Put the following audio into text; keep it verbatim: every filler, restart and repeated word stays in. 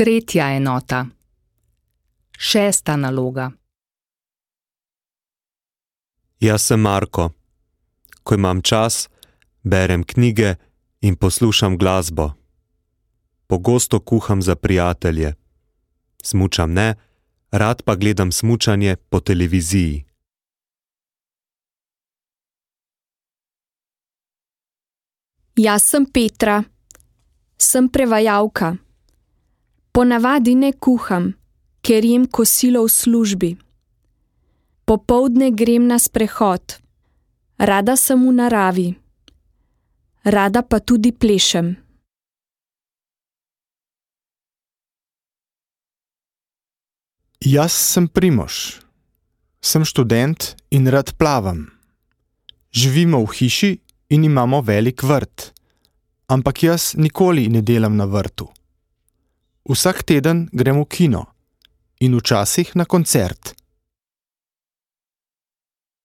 Tretja enota. Šesta naloga. Jaz sem Marko. Ko imam čas, berem knjige in poslušam glasbo. Pogosto kuham za prijatelje. Smučam ne, rad pa gledam smučanje po televiziji. Jaz sem Petra. Sem prevajalka. Ponavadi ne kuham, ker jem kosilo v službi. Popoldne grem na sprehod. Rada sem v naravi. Rada pa tudi plešem. Jaz sem Primož. Sem študent in rad plavam. Živimo v hiši in imamo velik vrt. Ampak jaz nikoli ne delam na vrtu. Vsak teden grem v kino in včasih na koncert.